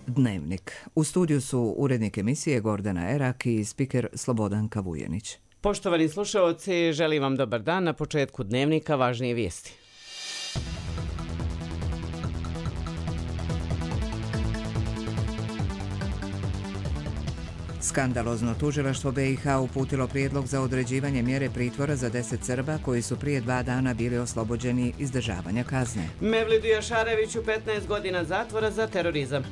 Dnevnik. U studiju su urednik emisije Gordana Erak i spiker Slobodanka Vujenić. Poštovani slušaoci, želim vam dobar dan. Na početku Dnevnika važnije vijesti. Skandalozno, tužilaštvo BiH uputilo prijedlog za određivanje mjere pritvora za 10 Srba koji su prije 2 dana bili oslobođeni izdržavanja kazne. Mevlidu Jašareviću 15 godina zatvora za terorizam.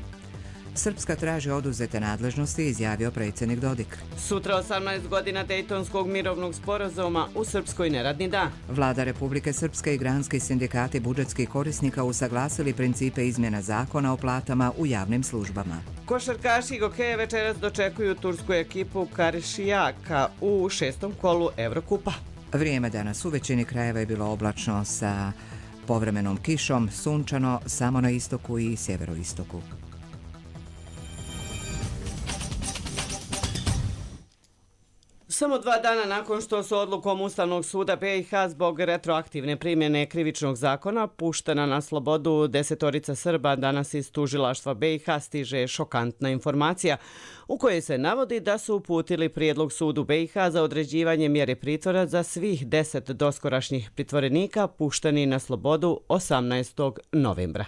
Srpska traži oduzete nadležnosti, izjavio predsjednik Dodik. Sutra 18 godina Dejtonskog mirovnog sporazuma, u Srpskoj neradni dan. Vlada Republike Srpske i granski sindikati budžetskih korisnika usaglasili principe izmjena zakona o platama u javnim službama. Košarkaši Gokeje večeras dočekuju tursku ekipu Karšijaka u 6. kolu Evrokupa. Vrijeme danas u većini krajeva je bilo oblačno sa povremenom kišom, sunčano samo na istoku i sjeveroistoku. Samo 2 dana nakon što su odlukom Ustavnog suda BiH zbog retroaktivne primjene krivičnog zakona puštena na slobodu 10 Srba, danas iz tužilaštva BiH stiže šokantna informacija u kojoj se navodi da su uputili prijedlog sudu BiH za određivanje mjere pritvora za svih 10 doskorašnjih pritvorenika pušteni na slobodu 18. novembra.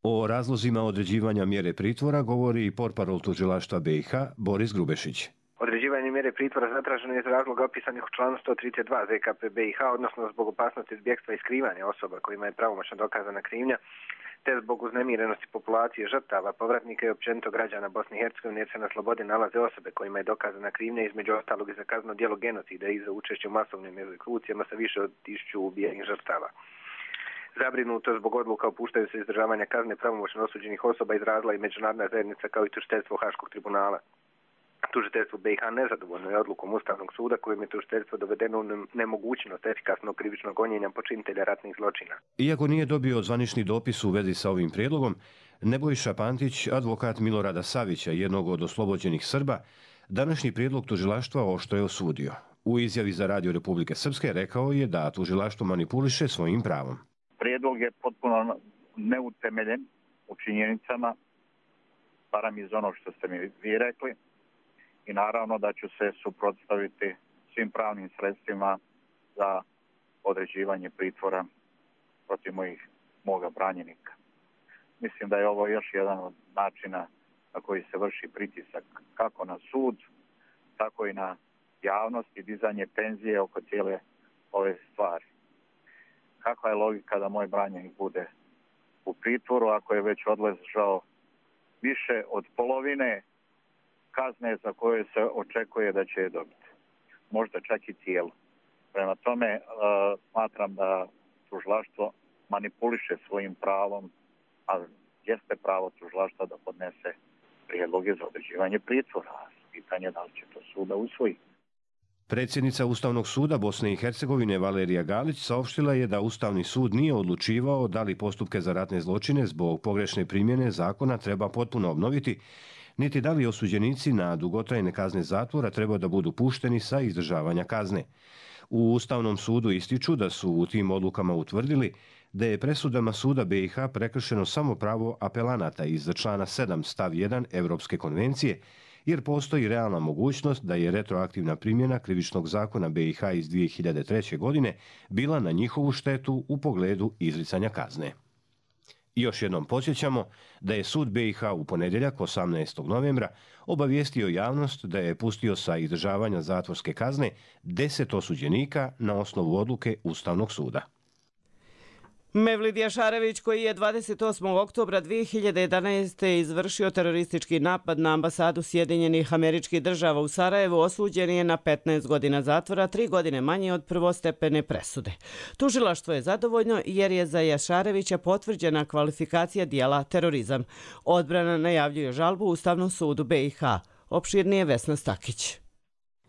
O razlozima određivanja mjere pritvora govori i portparol tužilaštva BiH Boris Grubešić. Određivanje mjere pritvora zatraženo je iz razloga opisanih u članu 132 ZKP BiH, odnosno zbog opasnosti izbjegstva i skrivanja osoba kojima je pravomoćno dokazana krivnja, te zbog uznemirenosti populacije žrtava, povratnika i općenito građana Bosne i Hercegovine, jer se na slobodi nalaze osobe kojima je dokazana krivnja, između ostalog i za kazneno djelo genocida i za učešće u masovnim egzekucijama sa više od 1000 ubijenih žrtava. Zabrinuto zbog odluka o puštanju se izdržavanja kazne pravomoćno osuđenih osoba izrazila i međunarodna zajednica kao i tužiteljstvo Haškog tribunala. Tužiteljstvo BiH nezadovoljno je odlukom Ustavnog suda kojim je tužiteljstvo dovedeno u nemogućnost efikasnog krivičnog gonjenja počinitelja ratnih zločina. Iako nije dobio zvanični dopis u vezi sa ovim prijedlogom, Nebojša Pantić, advokat Milorada Savića, jednog od oslobođenih Srba, današnji prijedlog tužilaštva oštro je osudio. U izjavi za Radio Republike Srpske rekao je da tužilaštvo manipuliše svojim pravom. Prijedlog je potpuno neutemeljen u činjenicama, barem iz onog što ste mi vi rekli. I naravno da ću se suprotstaviti svim pravnim sredstvima za određivanje pritvora protiv moga branjenika. Mislim da je ovo još jedan od načina na koji se vrši pritisak kako na sud, tako i na javnost i dizanje tenzije oko cijele ove stvari. Kakva je logika da moj branjenik bude u pritvoru ako je već odležao više od polovine kazne za koje se očekuje da će je dobiti. Možda čak i cijelo. Prema tome, smatram da tužilaštvo manipuliše svojim pravom, a jeste pravo tužilaštva da podnese prijedloge za određivanje pritvora. Pitanje je da li će to suda usvojiti. Predsjednica Ustavnog suda Bosne i Hercegovine Valerija Galić saopštila je da Ustavni sud nije odlučivao da li postupke za ratne zločine zbog pogrešne primjene zakona treba potpuno obnoviti, niti da li osuđenici na dugotrajne kazne zatvora treba da budu pušteni sa izdržavanja kazne. U Ustavnom sudu ističu da su u tim odlukama utvrdili da je presudama suda BiH prekršeno samo pravo apelanata iz člana 7 stav 1 Evropske konvencije, jer postoji realna mogućnost da je retroaktivna primjena krivičnog zakona BiH iz 2003. godine bila na njihovu štetu u pogledu izricanja kazne. I još jednom podsjećamo da je sud BiH u ponedjeljak 18. novembra obavijestio javnost da je pustio sa izdržavanja zatvorske kazne 10 osuđenika na osnovu odluke Ustavnog suda. Mevlid Jašarević, koji je 28. oktobra 2011. izvršio teroristički napad na ambasadu Sjedinjenih Američkih Država u Sarajevu, osuđen je na 15 godina zatvora, 3 godine manje od prvostepene presude. Tužilaštvo je zadovoljno jer je za Jašarevića potvrđena kvalifikacija dijela terorizam. Odbrana najavljuje žalbu Ustavnom sudu BiH. Opširnije Vesna Stakić.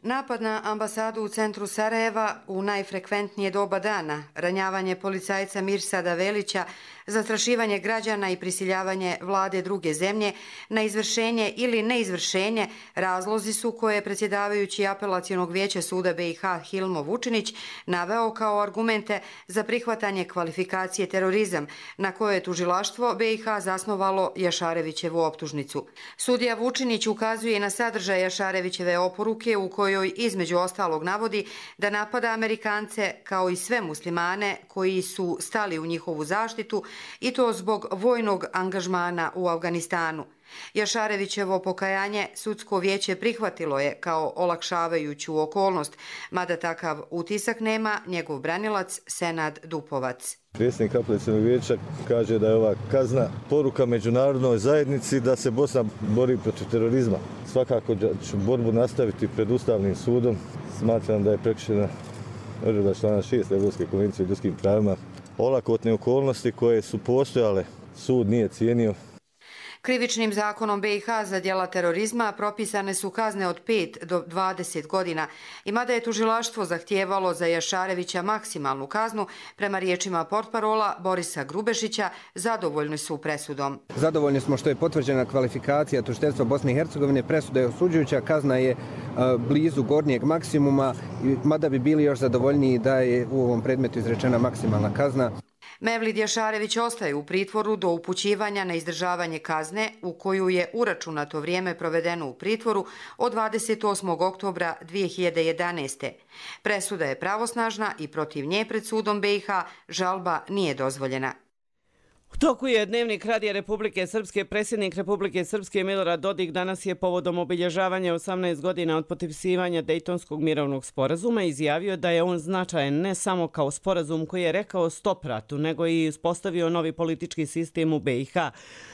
Napad na ambasadu u centru Sarajeva u najfrekventnije doba dana, ranjavanje policajca Mirsada Velića, zastrašivanje građana i prisiljavanje vlade druge zemlje na izvršenje ili neizvršenje razlozi su koje je predsjedavajući Apelacionog vijeća suda BiH Hilmo Vučinić naveo kao argumente za prihvatanje kvalifikacije terorizam na koje je tužilaštvo BiH zasnovalo Jašarevićevu optužnicu. Sudija Vučinić ukazuje na sadržaj Jašarevićeve oporuke u kojoj između ostalog navodi da napada Amerikance kao i sve muslimane koji su stali u njihovu zaštitu i to zbog vojnog angažmana u Afganistanu. Jašarevićevo pokajanje sudsko vijeće prihvatilo je kao olakšavajuću okolnost, mada takav utisak nema njegov branilac Senad Dupovac. Predsjednik Apelacionog vijeća kaže da je ova kazna poruka međunarodnoj zajednici da se Bosna bori protiv terorizma. Svakako ću borbu nastaviti pred Ustavnim sudom. Smatram da je prekršena odredba člana 6 Europske konvencije o ljudskim pravima. Olakotne okolnosti koje su postojale sud nije cijenio. Krivičnim zakonom BiH za djela terorizma propisane su kazne od 5 do 20 godina i mada je tužilaštvo zahtijevalo za Jašarevića maksimalnu kaznu, prema riječima portparola Borisa Grubešića, zadovoljni su presudom. Zadovoljni smo što je potvrđena kvalifikacija tužiteljstva Bosne i Hercegovine, presuda je osuđujuća, kazna je blizu gornjeg maksimuma, mada bi bili još zadovoljniji da je u ovom predmetu izrečena maksimalna kazna. Mevlid Jašarević ostaje u pritvoru do upućivanja na izdržavanje kazne u koju je uračunato vrijeme provedeno u pritvoru od 28. oktobra 2011. Presuda je pravosnažna i protiv nje pred sudom BiH žalba nije dozvoljena. U toku je Dnevnik Radija Republike Srpske. Predsjednik Republike Srpske Milorad Dodik danas je povodom obilježavanja 18 godina od potpisivanja Dejtonskog mirovnog sporazuma izjavio da je on značajan ne samo kao sporazum koji je rekao stop ratu, nego i uspostavio novi politički sistem u BiH.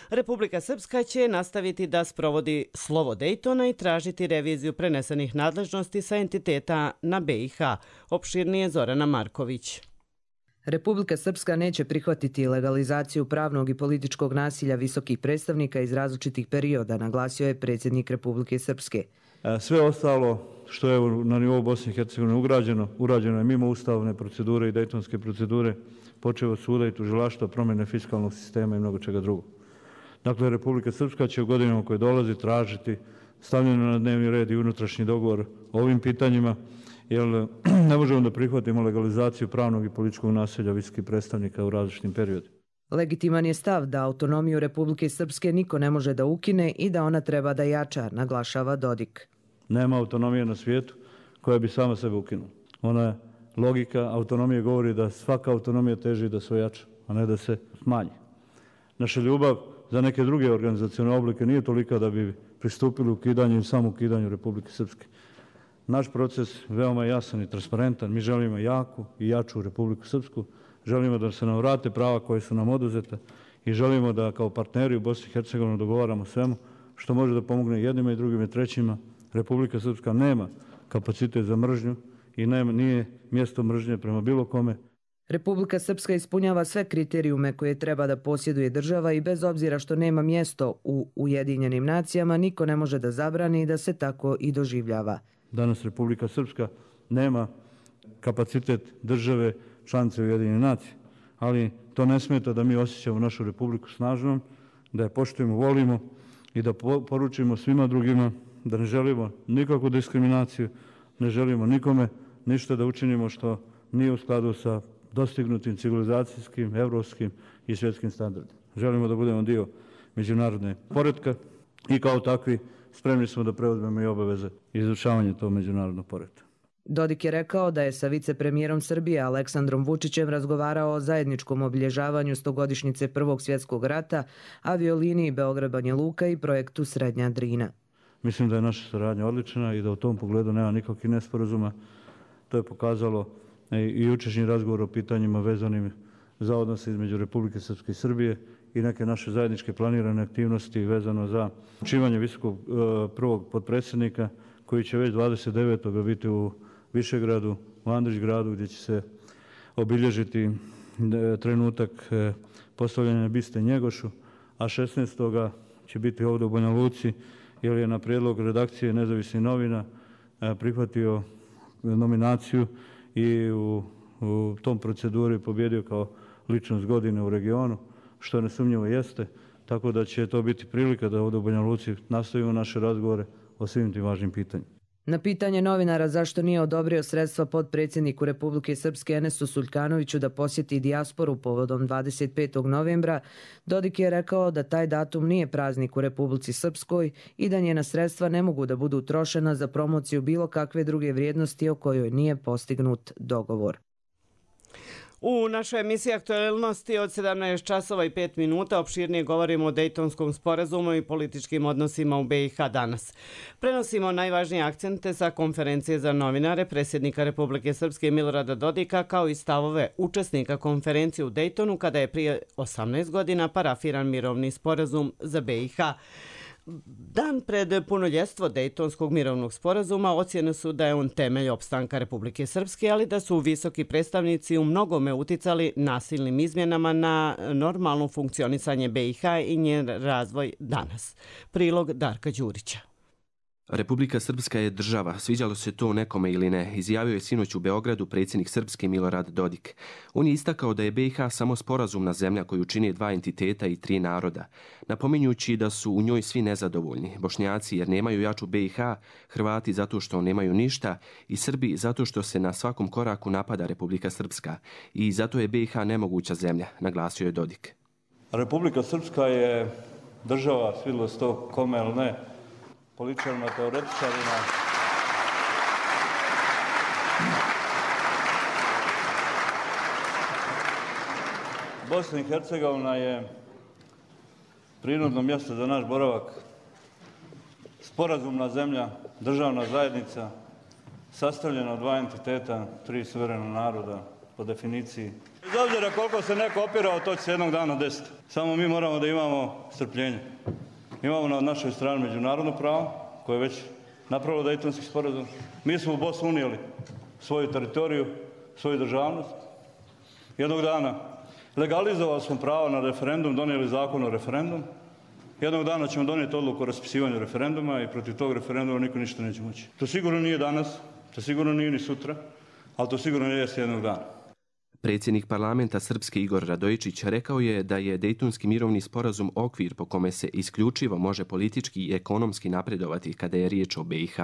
Republika Srpska će nastaviti da sprovodi slovo Dejtona i tražiti reviziju prenesenih nadležnosti sa entiteta na BiH. Opširnije Zorana Marković. Republika Srpska neće prihvatiti legalizaciju pravnog i političkog nasilja visokih predstavnika iz različitih perioda, naglasio je predsjednik Republike Srpske. Sve ostalo što je na nivou Bosne i Hercegovine urađeno je mimo ustavne procedure i dejtonske procedure, počev od suda i tužilaštva, promjene fiskalnog sistema i mnogo čega drugog. Dakle, Republika Srpska će u godinama koje dolazi tražiti stavljeno na dnevni red i unutrašnji dogovor o ovim pitanjima, jer ne možemo da prihvatimo legalizaciju pravnog i političkog nasilja visokih predstavnika u različitim periodima. Legitiman je stav da autonomiju Republike Srpske niko ne može da ukine i da ona treba da jača, naglašava Dodik. Nema autonomije na svijetu koja bi sama sebe ukinula. Ona je logika autonomije govori da svaka autonomija teži da se ojača, a ne da se smanji. Naša ljubav za neke druge organizacione oblike nije tolika da bi pristupili ukidanju i samo ukidanju Republike Srpske. Naš proces veoma jasan i transparentan. Mi želimo jaku i jaču Republiku Srpsku. Želimo da se nam vrate prava koje su nam oduzete i želimo da kao partneri u Bosni i Hercegovini dogovaramo svemu što može da pomogne jednima i drugima i trećima. Republika Srpska nema kapacitet za mržnju i nije mjesto mržnje prema bilo kome. Republika Srpska ispunjava sve kriterijume koje treba da posjeduje država i bez obzira što nema mjesto u Ujedinjenim nacijama, niko ne može da zabrani da se tako i doživljava. Danas Republika Srpska nema kapacitet države članice Ujedinjenih nacija, ali to ne smeta da mi osjećamo našu Republiku snažnom, da je poštujemo, volimo i da poručimo svima drugima da ne želimo nikakvu diskriminaciju, ne želimo nikome ništa da učinimo što nije u skladu sa dostignutim civilizacijskim, evropskim i svjetskim standardima. Želimo da budemo dio međunarodne poretka i kao takvi spremni smo da preuzmemo i obaveze izvršavanja tog međunarodnog poretka. Dodik je rekao da je sa vicepremijerom Srbije Aleksandrom Vučićem razgovarao o zajedničkom obilježavanju 100-godišnjice Prvog svjetskog rata, avioliniji Beograd-Banja Luka i projektu Srednja Drina. Mislim da je naša saradnja odlična i da u tom pogledu nema nikakvih nesporazuma. To je pokazalo i jučerašnji razgovor o pitanjima vezanim za odnose između Republike Srpske i Srbije i neke naše zajedničke planirane aktivnosti vezano za učivanje visokog prvog potpredsjednika koji će već 29. biti u Višegradu, u Andrićgradu, gdje će se obilježiti trenutak postavljanja biste Njegošu, a 16. će biti ovdje u Banja Luci, jer je na prijedlog redakcije Nezavisnih novina prihvatio nominaciju i u tom proceduri pobjedio kao ličnost godine u regionu, što nesumnjivo jeste, tako da će to biti prilika da ovdje u Banja Luci nastavimo naše razgovore o svim tim važnim pitanjima. Na pitanje novinara zašto nije odobrio sredstva potpredsjedniku Republike Srpske Enesu Suljkanoviću da posjeti dijasporu povodom 25. novembra, Dodik je rekao da taj datum nije praznik u Republici Srpskoj i da njena sredstva ne mogu da budu utrošena za promociju bilo kakve druge vrijednosti o kojoj nije postignut dogovor. U našoj emisiji Aktualnosti od 17 časova i 5 minuta opširnije govorimo o Dejtonskom sporazumu i političkim odnosima u BiH danas. Prenosimo najvažnije akcente sa konferencije za novinare predsjednika Republike Srpske Milorada Dodika kao i stavove učesnika konferencije u Dejtonu kada je prije 18 godina parafiran mirovni sporazum za BiH. Dan pred punoljetstvo Dejtonskog mirovnog sporazuma ocjene su da je on temelj opstanka Republike Srpske, ali da su visoki predstavnici u mnogome uticali nasilnim izmjenama na normalno funkcionisanje BiH i njen razvoj danas. Prilog Darka Đurića. Republika Srpska je država, sviđalo se to nekome ili ne, izjavio je sinoć u Beogradu predsjednik Srpske Milorad Dodik. On je istakao da je BiH samo sporazumna zemlja koju čini dva entiteta i tri naroda, napominjući da su u njoj svi nezadovoljni, Bošnjaci jer nemaju jaču BiH, Hrvati zato što nemaju ništa i Srbi zato što se na svakom koraku napada Republika Srpska i zato je BiH nemoguća zemlja, naglasio je Dodik. Republika Srpska je država, svidilo se to kome ili ne, političarima, teoretičarima. Bosna i Hercegovina je prirodno mjesto za naš boravak, sporazumna zemlja, državna zajednica, sastavljena od dva entiteta, tri suverena naroda po definiciji. Bez obzira koliko se neko opirao, to će se jednog dana desiti. Samo mi moramo da imamo strpljenje. Imamo na našoj strani međunarodno pravo, koje je već napravilo Dejtonski sporazum. Mi smo u Bosnu unijeli svoju teritoriju, svoju državnost. Jednog dana legalizovali smo pravo na referendum, donijeli zakon o referendumu. Jednog dana ćemo donijeti odluku o raspisivanju referenduma i protiv tog referenduma niko ništa neće moći. To sigurno nije danas, to sigurno nije ni sutra, ali to sigurno nije jednog dana. Predsjednik parlamenta Srpske Igor Radojičić rekao je da je Dejtonski mirovni sporazum okvir po kome se isključivo može politički i ekonomski napredovati kada je riječ o BiH.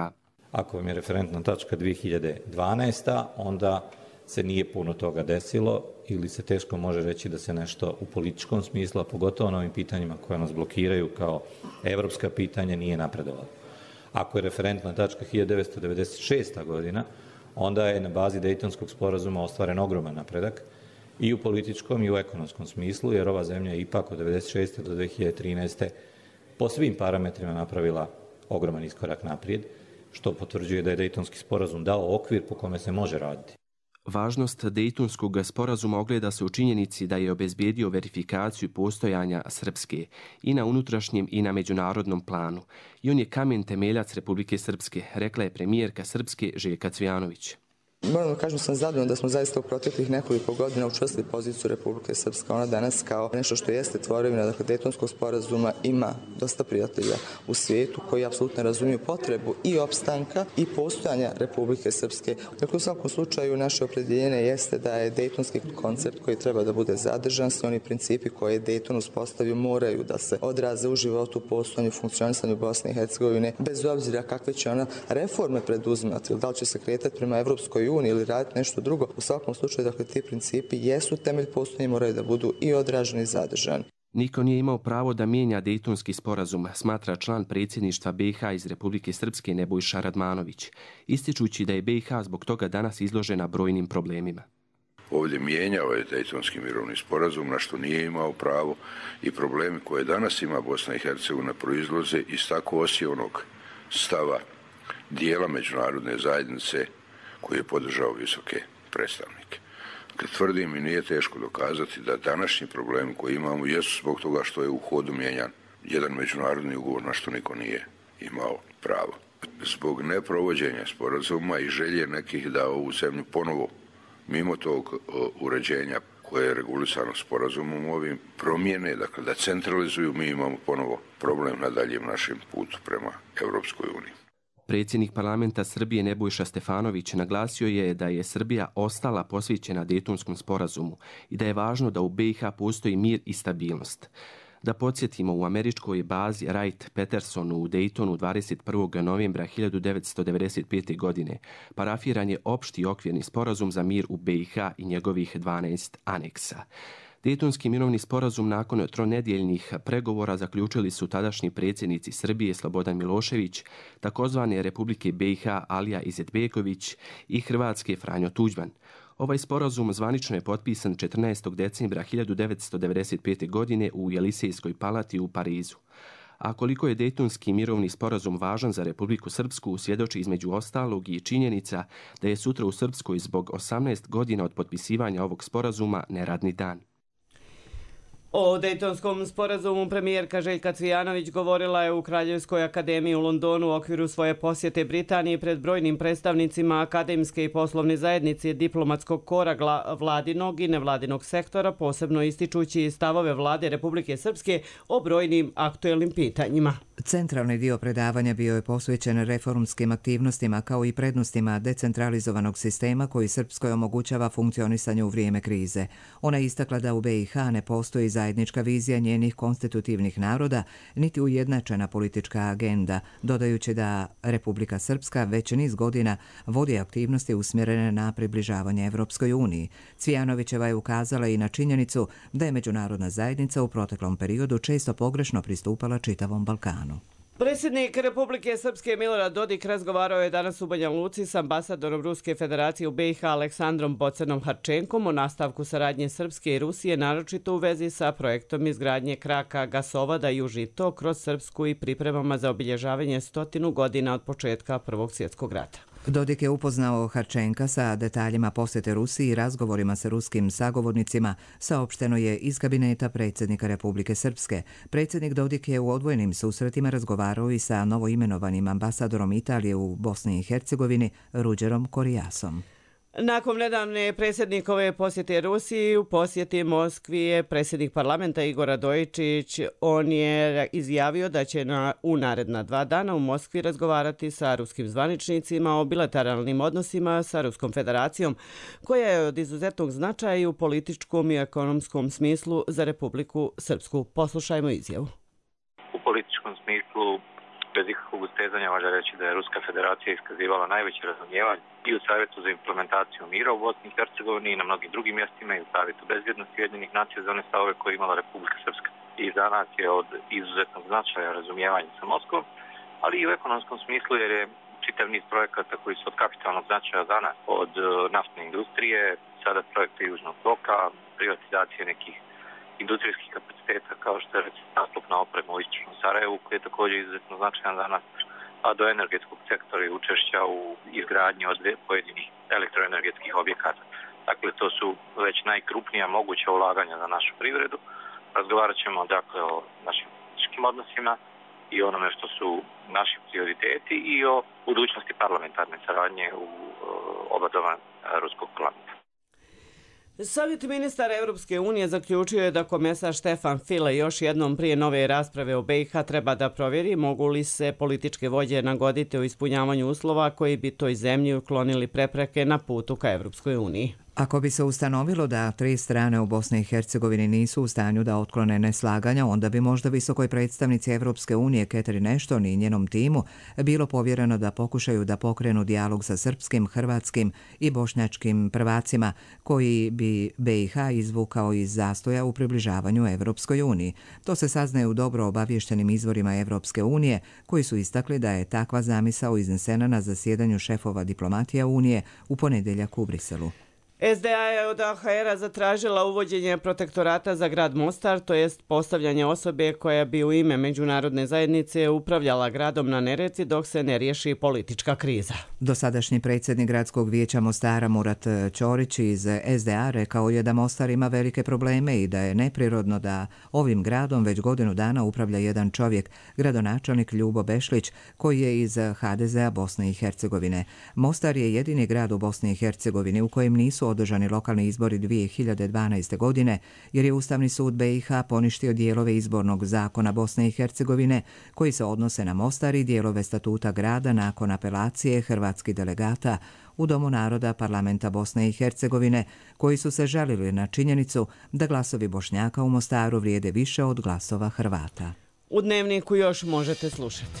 Ako vam je referentna tačka 2012. onda se nije puno toga desilo ili se teško može reći da se nešto u političkom smislu, a pogotovo na ovim pitanjima koje nas blokiraju kao evropska pitanja, nije napredovalo. Ako je referentna tačka 1996. godina, onda je na bazi Dejtonskog sporazuma ostvaren ogroman napredak i u političkom i u ekonomskom smislu, jer ova zemlja je ipak od 1996. do 2013. po svim parametrima napravila ogroman iskorak naprijed, što potvrđuje da je Dejtonski sporazum dao okvir po kome se može raditi. Važnost Dejtonskog sporazuma ogleda se u činjenici da je obezbijedio verifikaciju postojanja Srpske i na unutrašnjem i na međunarodnom planu. I on je kamen temeljac Republike Srpske, rekla je premijerka Srpske Željka Cvijanović. Moram da kažem, sam zadovoljna da smo zaista u proteklih nekoliko godina učvrstili poziciju Republike Srpske. Ona danas kao nešto što jeste tvorevina, dakle, Dejtonskog sporazuma ima dosta prijatelja u svijetu koji apsolutno razumiju potrebu i opstanka i postojanja Republike Srpske. Dakle, u svakom slučaju naše opredjeljenje jeste da je Dejtonski koncept koji treba da bude zadržan, svi oni principi koje je Dejton uspostavio moraju da se odraze u životu, postojanju, funkcionisanju Bosne i Hercegovine, bez obzira kakve će ona reforme preduzimati, da li će se kretati prema Evropskoj uniji ili raditi nešto drugo. U svakom slučaju, dakle, ti principi jesu temelj postojanja i moraju da budu i odraženi i zadržani. Niko nije imao pravo da mijenja Dejtonski sporazum, smatra član predsjedništva BiH iz Republike Srpske Nebojša Radmanović, ističući da je BiH zbog toga danas izložena brojnim problemima. Ovdje mijenjao je Dejtonski mirovni sporazum, na što nije imao pravo, i problemi koje danas ima Bosna i Hercegovina proizlaze iz tako osijevanog stava dijela međunarodne zajednice koji je podržao visoke predstavnike. Dakle, tvrdim i nije teško dokazati da današnji problemi koji imamo jesu zbog toga što je u hodu mijenjan jedan međunarodni ugovor na što niko nije imao pravo. Zbog neprovođenja sporazuma i želje nekih da ovu zemlju ponovo, mimo tog uređenja koje je regulisano sporazumom ovim, promijene, dakle da centralizuju, mi imamo ponovo problem na daljem našem putu prema Europskoj uniji. Predsjednik parlamenta Srbije Nebojša Stefanović naglasio je da je Srbija ostala posvećena Dejtonskom sporazumu i da je važno da u BiH postoji mir i stabilnost. Da podsjetimo, u američkoj bazi Wright-Pattersonu u Daytonu 21. novembra 1995. godine parafiran je opšti okvirni sporazum za mir u BiH i njegovih 12 aneksa. Dejtonski mirovni sporazum nakon tronedjeljnih pregovora zaključili su tadašnji predsjednici Srbije Slobodan Milošević, takozvane Republike BiH Alija Izetbegović i Hrvatske Franjo Tuđman. Ovaj sporazum zvanično je potpisan 14. decembra 1995. godine u Jelisejskoj palati u Parizu. A koliko je Dejtonski mirovni sporazum važan za Republiku Srpsku, svjedoči između ostalog i činjenica da je sutra u Srpskoj zbog 18 godina od potpisivanja ovog sporazuma neradni dan. O Dejtonskom sporazumu premijerka Željka Cvijanović govorila je u Kraljevskoj akademiji u Londonu u okviru svoje posjete Britaniji pred brojnim predstavnicima akademske i poslovne zajednice, diplomatskog kora vladinog i nevladinog sektora, posebno ističući stavove vlade Republike Srpske o brojnim aktuelnim pitanjima. Centralni dio predavanja bio je posvećen reformskim aktivnostima kao i prednostima decentralizovanog sistema koji Srpskoj omogućava funkcionisanje u vrijeme krize. Ona je istakla da u BiH ne postoji zajednička vizija njenih konstitutivnih naroda, niti ujednačena politička agenda, dodajući da Republika Srpska već niz godina vodi aktivnosti usmjerene na približavanje Evropskoj uniji. Cvijanovićeva je ukazala i na činjenicu da je međunarodna zajednica u proteklom periodu često pogrešno pristupala čitavom Balkanu. Predsjednik Republike Srpske Milorad Dodik razgovarao je danas u Banja Luci s ambasadorom Ruske federacije u BiH Aleksandrom Bocanom Harčenkom o nastavku saradnje Srpske i Rusije, naročito u vezi sa projektom izgradnje kraka gasovoda Južni tok kroz Srpsku i pripremama za obilježavanje 100 godina od početka Prvog svjetskog rata. Dodik je upoznao Harčenka sa detaljima posjete Rusiji i razgovorima sa ruskim sagovornicima, saopšteno je iz kabineta predsjednika Republike Srpske. Predsjednik Dodik je u odvojenim susretima razgovarao i sa novoimenovanim ambasadorom Italije u Bosni i Hercegovini Ruđerom Korijasom. Nakon nedavne predsjednikove posjete Rusiji, u posjeti Moskvi je predsjednik parlamenta Igor Radojičić. On je izjavio da će u naredna 2 dana u Moskvi razgovarati sa ruskim zvaničnicima o bilateralnim odnosima sa Ruskom federacijom, koja je od izuzetnog značaja i u političkom i ekonomskom smislu za Republiku Srpsku. Poslušajmo izjavu. U političkom smislu, bez ikakvog ustezanja, valja reći da je Ruska federacija iskazivala najveće razumijevanje i u Savjetu za implementaciju mira u Bosni i Hercegovini i na mnogim drugim mjestima i u Savjetu bezbjednosti Ujedinjenih nacija za one stavove koje je imala Republika Srpska. I za nas je od izuzetnog značaja razumijevanje sa Moskvom, ali i u ekonomskom smislu jer je čitav niz projekata koji su od kapitalnog značaja za nas, od naftne industrije, sada projekta Južnog toka, privatizacije nekih industrijskih kapaciteta kao što je naslupna oprema u istočnom Sarajevu, koji je također izuzetno značajan za nas, a do energetskog sektora i učešća u izgradnji od pojedinih elektroenergetskih objekata. Dakle, to su već najkrupnija moguća ulaganja za našu privredu. Razgovarat ćemo dakle o našim političkim odnosima i onome što su naši prioriteti i o budućnosti parlamentarne saradnje u oba doma Ruskog parlamenta. Savjet ministara Europske unije zaključio je da komesar Štefan File još jednom prije nove rasprave o BiH treba da provjeri mogu li se političke vođe nagoditi o ispunjavanju uslova koji bi toj zemlji uklonili prepreke na putu ka Europskoj uniji. Ako bi se ustanovilo da 3 strane u Bosni i Hercegovini nisu u stanju da otklone neslaganja, onda bi možda visokoj predstavnici Evropske unije Catherine Ashton i njenom timu bilo povjereno da pokušaju da pokrenu dijalog sa srpskim, hrvatskim i bošnjačkim prvacima koji bi BiH izvukao iz zastoja u približavanju Evropskoj uniji. To se saznaje u dobro obavještenim izvorima Evropske unije koji su istakli da je takva zamisao iznesena na zasjedanju šefova diplomatija Unije u ponedjeljak u Briselu. SDA je od AHR-a zatražila uvođenje protektorata za grad Mostar, to jest postavljanje osobe koja bi u ime međunarodne zajednice upravljala gradom na Neretvi dok se ne riješi politička kriza. Dosadašnji predsjednik gradskog vijeća Mostara Murat Ćorić iz SDA rekao je da Mostar ima velike probleme i da je neprirodno da ovim gradom već godinu dana upravlja jedan čovjek, gradonačelnik Ljubo Bešlić, koji je iz HDZ-a Bosne i Hercegovine. Mostar je jedini grad u Bosni i Hercegovini u kojem nisu nisu održani lokalni izbori 2012. godine, jer je Ustavni sud BiH poništio dijelove izbornog zakona Bosne i Hercegovine koji se odnose na Mostar i dijelove statuta grada nakon apelacije hrvatskih delegata u Domu naroda Parlamenta Bosne i Hercegovine, koji su se žalili na činjenicu da glasovi Bošnjaka u Mostaru vrijede više od glasova Hrvata. U Dnevniku još možete slušati.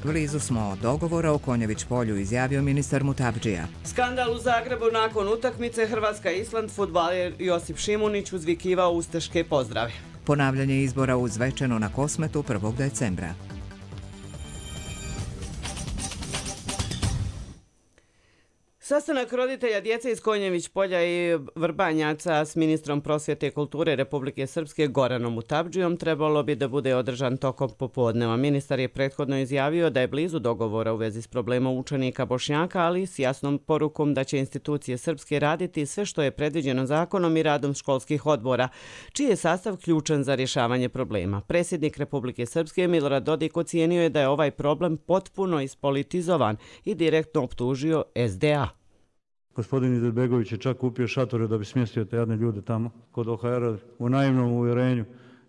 Blizu smo od dogovora, u Konjević polju izjavio ministar Mutabdžija. Skandal u Zagrebu nakon utakmice Hrvatska-Island, fudbaler Josip Šimunić uzvikivao ustaške pozdrave. Ponavljanje izbora u Zvečanu na Kosmetu 1. decembra. Sastanak roditelja djece iz Konjević polja i Vrbanjaca s ministrom prosvjete i kulture Republike Srpske Goranom Mutabdžijom trebalo bi da bude održan tokom popodneva. Ministar je prethodno izjavio da je blizu dogovora u vezi s problemom učenika Bošnjaka, ali s jasnom porukom da će institucije srpske raditi sve što je predviđeno zakonom i radom školskih odbora, čiji je sastav ključan za rješavanje problema. Predsjednik Republike Srpske Milorad Dodik ocijenio je da je ovaj problem potpuno ispolitizovan i direktno optužio SDA. Gospodin Izetbegović je čak kupio šatore da bi smjestio te jadne ljude tamo kod OHR-a u naivnom uvjerenju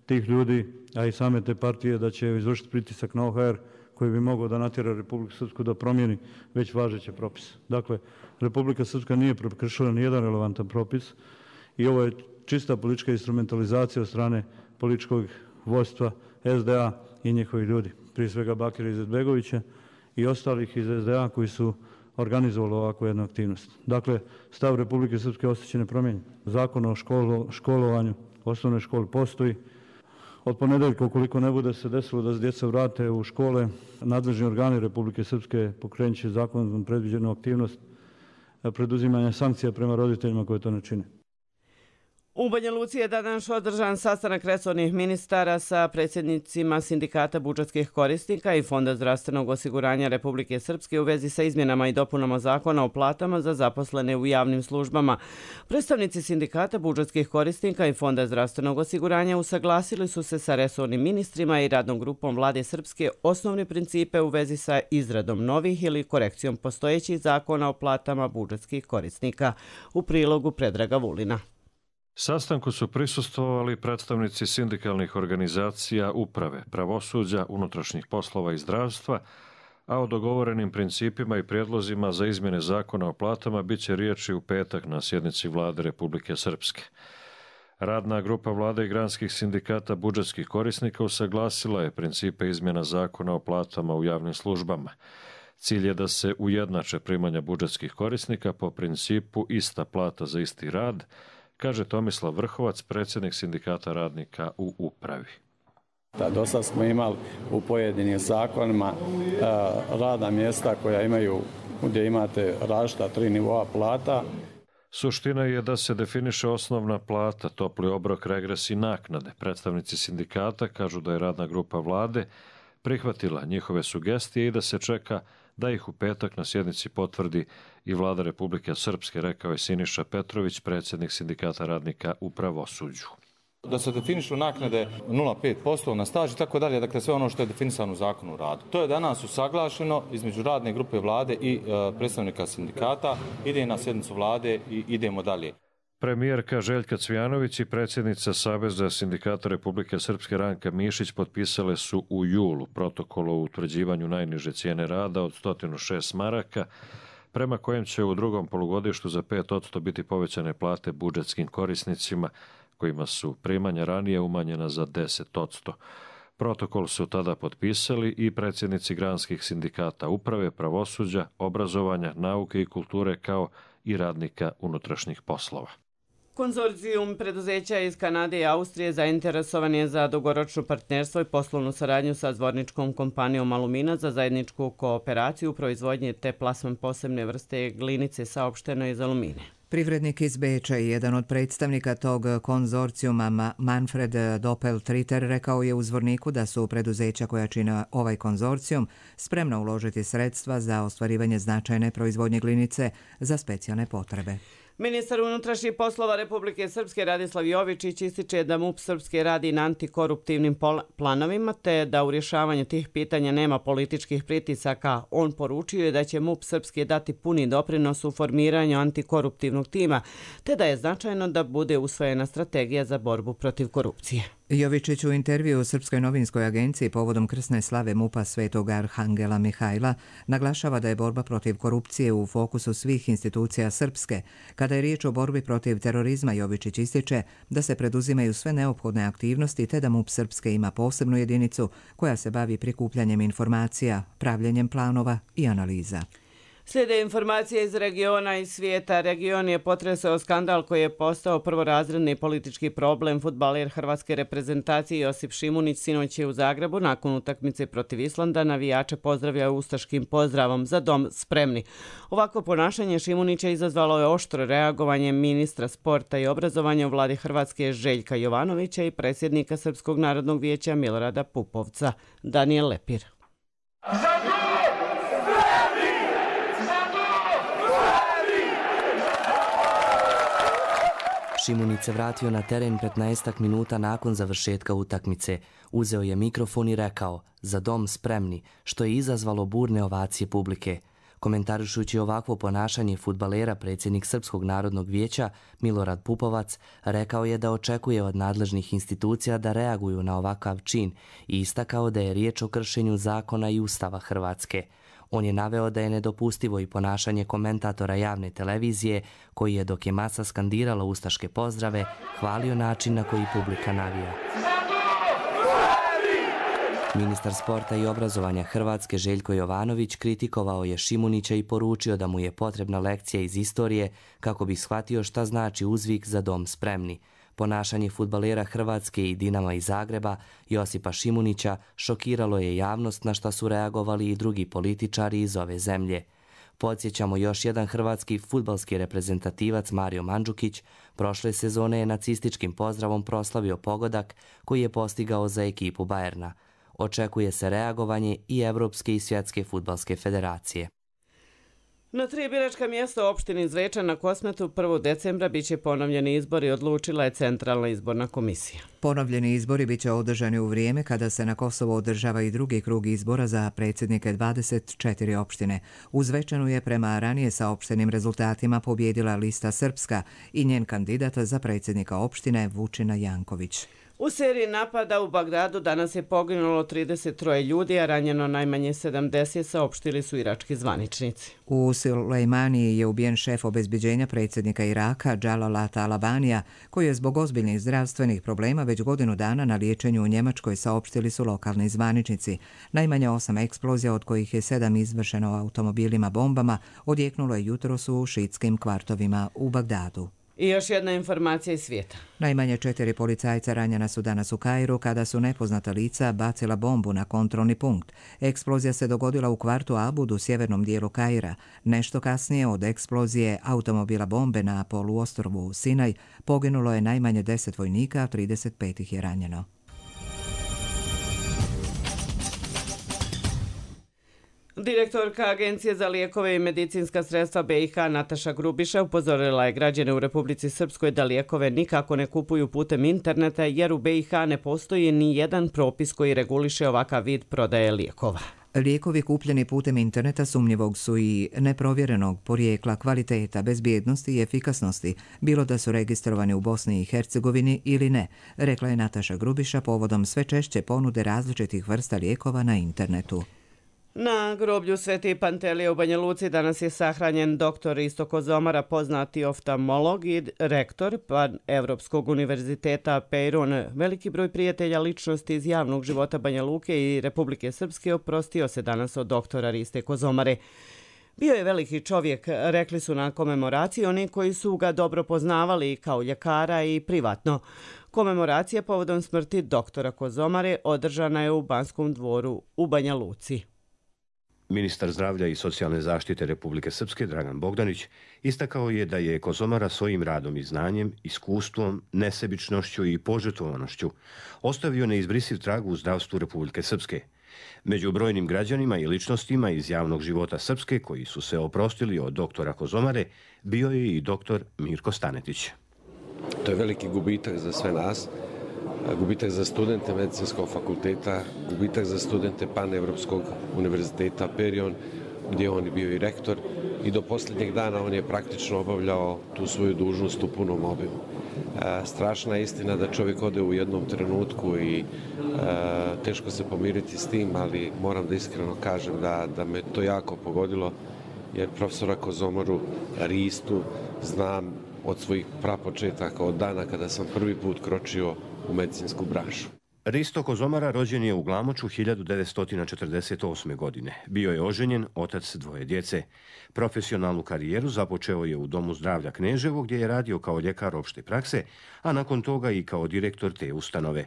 tih ljudi, a i same te partije da će izvršiti pritisak na OHR koji bi mogao da natjera Republiku Srpsku da promijeni već važeće propise. Dakle, Republika Srpska nije prekršila nijedan relevantan propis i ovo je čista politička instrumentalizacija od strane političkog vodstva SDA i njihovih ljudi, prije svega Bakira Izetbegovića i ostalih iz SDA koji su organizovalo ovakvu jednu aktivnost. Dakle, stav Republike Srpske ostaće nepromijenjen. Zakon o školovanju osnovne škole postoji. Od ponedeljka, ukoliko ne bude se desilo da se djeca vrate u škole, nadležni organi Republike Srpske pokrenut će zakonom predviđenu aktivnost preduzimanja sankcija prema roditeljima koji to ne čine. U Banja Luci je danas održan sastanak resornih ministara sa predsjednicima Sindikata budžetskih korisnika i Fonda zdravstvenog osiguranja Republike Srpske u vezi sa izmjenama i dopunama zakona o platama za zaposlene u javnim službama. Predstavnici Sindikata budžetskih korisnika i Fonda zdravstvenog osiguranja usaglasili su se sa resornim ministrima i radnom grupom Vlade Srpske osnovne principe u vezi sa izradom novih ili korekcijom postojećih zakona o platama budžetskih korisnika. U prilogu Predraga Vulina. Sastanku su prisustvovali predstavnici sindikalnih organizacija uprave, pravosuđa, unutrašnjih poslova i zdravstva, a o dogovorenim principima i prijedlozima za izmjene zakona o platama bit će riječi u petak na sjednici Vlade Republike Srpske. Radna grupa Vlade i granskih sindikata budžetskih korisnika usaglasila je principe izmjena zakona o platama u javnim službama. Cilj je da se ujednače primanja budžetskih korisnika po principu ista plata za isti rad, kaže Tomislav Vrhovac, predsjednik sindikata radnika u upravi. Do sad smo imali u pojedinim zakonima radna mjesta koja imaju, gdje imate različita 3 nivoa plata. Suština je da se definiše osnovna plata, topli obrok, regres i naknade. Predstavnici sindikata kažu da je radna grupa Vlade prihvatila njihove sugestije i da se čeka da ih u petak na sjednici potvrdi i Vlada Republike Srpske, rekao je Siniša Petrović, predsjednik sindikata radnika u pravosuđu. Da se definišu naknade 0,5% na staž i tako dalje, dakle sve ono što je definisano u zakonu o radu. To je danas usaglašeno između radne grupe Vlade i predstavnika sindikata, ide na sjednicu Vlade i idemo dalje. Premijerka Željka Cvijanović i predsjednica Saveza sindikata Republike Srpske Ranka Mišić potpisale su u julu protokol o utvrđivanju najniže cijene rada od 106 maraka, prema kojem će u drugom polugodištu za 5% biti povećane plate budžetskim korisnicima, kojima su primanja ranije umanjena za 10%. Protokol su tada potpisali i predsjednici granskih sindikata uprave, pravosuđa, obrazovanja, nauke i kulture kao i radnika unutrašnjih poslova. Konzorcijum preduzeća iz Kanade i Austrije zainteresovan je za dugoročno partnerstvo i poslovnu saradnju sa zvorničkom kompanijom Alumina za zajedničku kooperaciju u proizvodnji te plasman posebne vrste glinice, saopšteno iz Alumine. Privrednik iz Beča i jedan od predstavnika tog konzorcijuma, Manfred Doppeltritter, rekao je u Zvorniku da su preduzeća koja čine ovaj konzorcijum spremna uložiti sredstva za ostvarivanje značajne proizvodnje glinice za specijalne potrebe. Ministar unutrašnjih poslova Republike Srpske Radislav Jovičić ističe da MUP Srpske radi na antikoruptivnim planovima te da u rješavanju tih pitanja nema političkih pritisaka. On poručio je da će MUP Srpske dati puni doprinos u formiranju antikoruptivnog tima te da je značajno da bude usvojena strategija za borbu protiv korupcije. Jovičić u intervju u Srpskoj novinskoj agenciji povodom krsne slave MUP-a Svetog Arhangela Mihajla naglašava da je borba protiv korupcije u fokusu svih institucija Srpske. Kada je riječ o borbi protiv terorizma, Jovičić ističe da se preduzimaju sve neophodne aktivnosti te da MUP Srpske ima posebnu jedinicu koja se bavi prikupljanjem informacija, pravljenjem planova i analiza. Slijede informacije iz regiona i svijeta. Region je potresao skandal koji je postao prvorazredni politički problem. Fudbaler hrvatske reprezentacije Josip Šimunić sinoć je u Zagrebu nakon utakmice protiv Islanda navijače pozdravljao ustaškim pozdravom za dom spremni. Ovako ponašanje Šimunića izazvalo je oštro reagovanje ministra sporta i obrazovanja u vladi Hrvatske Željka Jovanovića i predsjednika Srpskog narodnog vijeća Milorada Pupovca. Daniel Lepir. Šimunić se vratio na teren 15 minuta nakon završetka utakmice. Uzeo je mikrofon i rekao "Za dom spremni", što je izazvalo burne ovacije publike. Komentarišući ovakvo ponašanje fudbalera, predsjednik Srpskog narodnog vijeća Milorad Pupovac rekao je da očekuje od nadležnih institucija da reaguju na ovakav čin i istakao da je riječ o kršenju zakona i Ustava Hrvatske. On je naveo da je nedopustivo i ponašanje komentatora javne televizije koji je, dok je masa skandirala ustaške pozdrave, hvalio način na koji publika navija. Ministar sporta i obrazovanja Hrvatske Željko Jovanović kritikovao je Šimunića i poručio da mu je potrebna lekcija iz istorije kako bi shvatio šta znači uzvik "Za dom spremni". Ponašanje fudbalera Hrvatske i Dinama iz Zagreba, Josipa Šimunića, šokiralo je javnost, na šta su reagovali i drugi političari iz ove zemlje. Podsjećamo, još jedan hrvatski fudbalski reprezentativac Mario Mandžukić prošle sezone je nacističkim pozdravom proslavio pogodak koji je postigao za ekipu Bayerna. Očekuje se reagovanje i Evropske i Svjetske fudbalske federacije. Na 3 biračka mjesta u opštini Zvečan na Kosmetu 1. decembra biće ponovljeni izbori, odlučila je Centralna izborna komisija. Ponovljeni izbori biće održani u vrijeme kada se na Kosovo održava i drugi krug izbora za predsjednike 24 opštine. U Zvečanu je prema ranije saopštenim rezultatima pobjedila lista Srpska i njen kandidat za predsjednika opštine Vučina Janković. U seriji napada u Bagdadu danas je poginulo 33 ljudi, a ranjeno najmanje 70, saopštili su irački zvaničnici. U Sulejmaniji je ubijen šef obezbeđenja predsjednika Iraka Džalala Talabanija, koji je zbog ozbiljnih zdravstvenih problema već godinu dana na liječenju u Njemačkoj, saopštili su lokalni zvaničnici. Najmanje 8 eksplozija, od kojih je 7 izvršeno automobilima bombama, odjeknulo je jutros u šiitskim kvartovima u Bagdadu. I još jedna informacija iz svijeta. Najmanje 4 policajca ranjena su danas u Kairu kada su nepoznata lica bacila bombu na kontrolni punkt. Eksplozija se dogodila u kvartu Abud u sjevernom dijelu Kaira. Nešto kasnije od eksplozije automobila bombe na poluostrvu Sinaj poginulo je najmanje 10 vojnika, a 35 ih je ranjeno. Direktorka Agencije za lijekove i medicinska sredstva BiH Nataša Grubiša upozorila je građane u Republici Srpskoj da lijekove nikako ne kupuju putem interneta jer u BiH ne postoji ni jedan propis koji reguliše ovakav vid prodaje lijekova. Lijekovi kupljeni putem interneta sumnjivog su i neprovjerenog porijekla, kvaliteta, bezbjednosti i efikasnosti, bilo da su registrovani u Bosni i Hercegovini ili ne, rekla je Nataša Grubiša povodom sve češće ponude različitih vrsta lijekova na internetu. Na groblju Sveti Pantelije u Banja Luci danas je sahranjen dr. Risto Kozomara, poznati oftalmolog i rektor Evropskog univerziteta Peyron. Veliki broj prijatelja ličnosti iz javnog života Banja Luke i Republike Srpske oprostio se danas od doktora Riste Kozomare. Bio je veliki čovjek, rekli su na komemoraciji oni koji su ga dobro poznavali kao ljekara i privatno. Komemoracija povodom smrti doktora Kozomare održana je u Banskom dvoru u Banja Luci. Ministar zdravlja i socijalne zaštite Republike Srpske Dragan Bogdanić istakao je da je Kozomara svojim radom i znanjem, iskustvom, nesebičnošću i požrtvovanošću ostavio neizbrisiv trag u zdravstvu Republike Srpske. Među brojnim građanima i ličnostima iz javnog života Srpske koji su se oprostili od doktora Kozomare bio je i doktor Mirko Stanetić. To je veliki gubitak za sve nas, gubitak za studente medicinskog fakulteta, gubitak za studente Panevropskog univerziteta Perion, gdje on je bio i rektor, i do posljednjeg dana on je praktično obavljao tu svoju dužnost u punom obimu. Strašna je istina da čovjek ode u jednom trenutku i teško se pomiriti s tim, ali moram da iskreno kažem da me to jako pogodilo, jer profesora Kozomaru Ristu znam od svojih prapočetaka, od dana kada sam prvi put kročio u medicinsku branšu. Risto Kozomara rođen je u Glamoču 1948. godine. Bio je oženjen, otac dvoje djece. Profesionalnu karijeru započeo je u Domu zdravlja Kneževo, gdje je radio kao ljekar opšte prakse, a nakon toga i kao direktor te ustanove.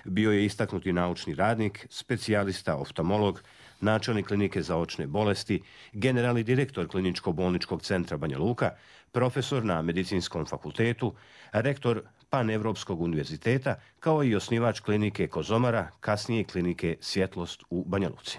Bio je istaknuti naučni radnik, specijalista oftalmolog, načelnik klinike za očne bolesti, generalni direktor kliničko-bolničkog centra Banja Luka, profesor na medicinskom fakultetu, rektor Panevropskog univerziteta, kao i osnivač klinike Kozomara, kasnije klinike Svjetlost u Banja Luci.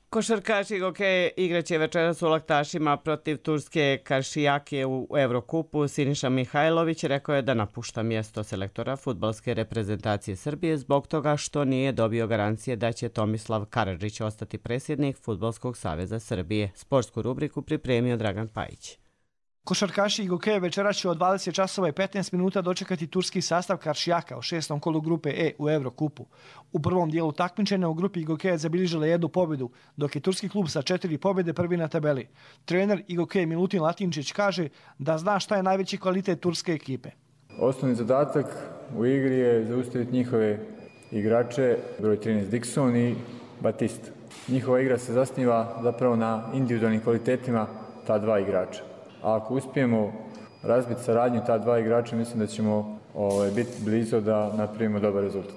Košarkaši Gokeje igraće večeras u Laktašima protiv turske Karšijake u Evrokupu. Siniša Mihajlović rekao je da napušta mjesto selektora fudbalske reprezentacije Srbije zbog toga što nije dobio garancije da će Tomislav Karadžić ostati predsjednik Fudbalskog saveza Srbije. Sportsku rubriku pripremio Dragan Pajić. Košarkaši i Gokeje večeras će od 20 časova i 15 minuta dočekati turski sastav Karšijaka u 6. kolu grupe E u Evrokupu. U prvom dijelu takmičenja u grupi Gokeje zabilježila jednu pobjedu, dok je turski klub sa 4 pobjede prvi na tabeli. Trener Gokeje Milutin Latinčić kaže da zna šta je najveći kvalitet turske ekipe. Osnovni zadatak u igri je zaustaviti njihove igrače, broj 13 Dixon i Batista. Njihova igra se zasniva zapravo na individualnim kvalitetima ta dva igrača. A ako uspijemo razbiti saradnju ta dva igrača, mislim da ćemo biti blizu da napravimo dobar rezultat.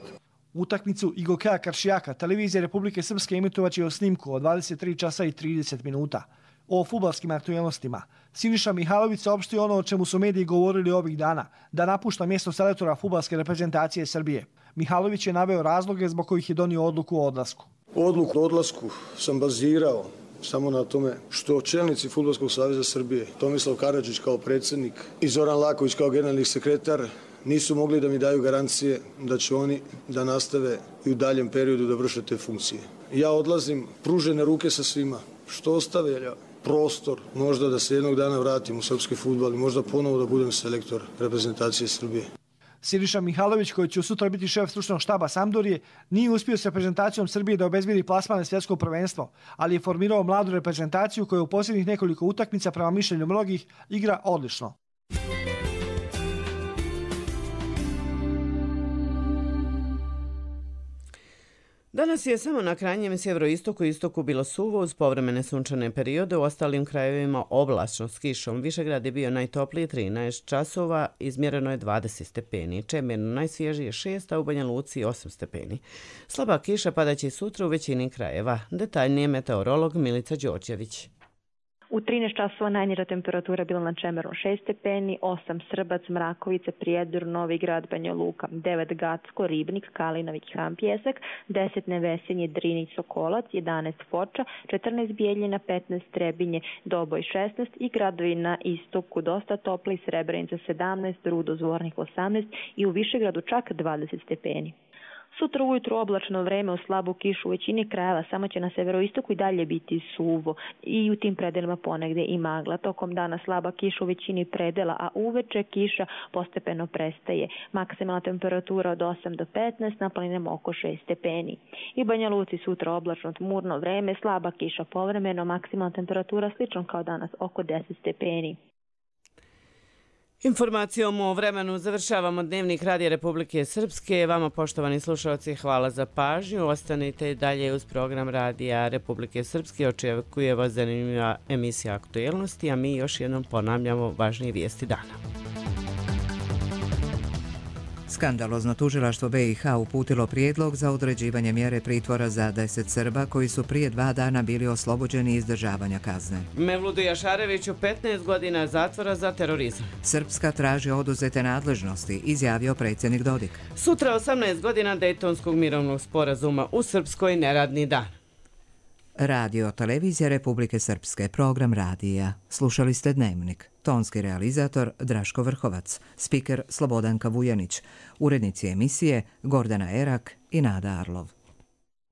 Utakmicu Gokeja Karšijaka televizija Republike Srpske emitovaće o snimku od 23 časa i 30 minuta. O fudbalskim aktualnostima Siniša Mihajlović saopštio ono o čemu su mediji govorili ovih dana, da napušta mjesto selektora fudbalske reprezentacije Srbije. Mihajlović je naveo razloge zbog kojih je donio odluku o odlasku. Odluku o odlasku sam bazirao samo na tome što čelnici Fudbalskog saveza Srbije, Tomislav Karadžić kao predsjednik i Zoran Laković kao generalni sekretar, nisu mogli da mi daju garancije da će oni da nastave i u daljem periodu da vrše te funkcije. Ja odlazim pružene ruke sa svima, što ostavlja prostor možda da se jednog dana vratim u srpski fudbal i možda ponovo da budem selektor reprezentacije Srbije. Siniša Mihajlović, koji će sutra biti šef stručnog štaba Sampdorije, nije uspio s reprezentacijom Srbije da obezbedi plasman na svjetsko prvenstvo, ali je formirao mladu reprezentaciju koja u posljednjih nekoliko utakmica, prema mišljenju mnogih, igra odlično. Danas je samo na krajnjem sjeveroistoku i istoku bilo suvo uz povremene sunčane periode, u ostalim krajevima oblačno s kišom. Višegrad je bio najtopliji 13 časova, izmjereno je 20 stepeni. Čemerno najsvježije 6, a u Banja Luci 8 stepeni. Slaba kiša padaće i sutra u većini krajeva. Detaljnije meteorolog Milica Đorđević. U 13 časova najniža temperatura bila na Čemeru 6 stepeni, 8 Srbac, Mrakovica, Prijedor, Novi Grad, Banja Luka, 9 Gacko, Ribnik, Kalinović, Han Pjesak, 10 Nevesinje, Drinić, Sokolac, 11 Foča, 14 Bijeljina, 15 Trebinje, Doboj 16 i gradovi na istoku dosta topli, Srebrenica 17, Rudo, Zvornik 18 i u Višegradu čak 20 stepeni. Sutra ujutru oblačno vreme uz slabu kišu u većini krajeva, samo će na severoistoku i dalje biti suvo i u tim predelima ponegde i magla. Tokom dana slaba kiša u većini predela, a uveče kiša postepeno prestaje. Maksimalna temperatura od 8 do 15, na planinama oko 6 stepeni. I u Banja Luci sutra oblačno tmurno vreme, slaba kiša povremeno, maksimalna temperatura slično kao danas oko 10 stepeni. Informacijom o vremenu završavamo Dnevnik Radija Republike Srpske. Vama, poštovani slušalci, hvala za pažnju. Ostanite dalje uz program Radija Republike Srpske. Očekuje vas zanimljiva emisija aktualnosti, a mi još jednom ponavljamo važnije vijesti dana. Skandalozno tužilaštvo BiH uputilo prijedlog za određivanje mjere pritvora za 10 Srba koji su prije 2 dana bili oslobođeni izdržavanja kazne. Mevludu Jašareviću 15 godina zatvora za terorizam. Srpska traži oduzete nadležnosti, izjavio predsjednik Dodik. Sutra 18 godina Dejtonskog mirovnog sporazuma, u Srpskoj neradni dan. Radio Televizija Republike Srpske, program radija. Slušali ste Dnevnik. Tonski realizator Draško Vrhovac, spiker Slobodanka Vujanić, urednici emisije Gordana Erak i Nada Arlov.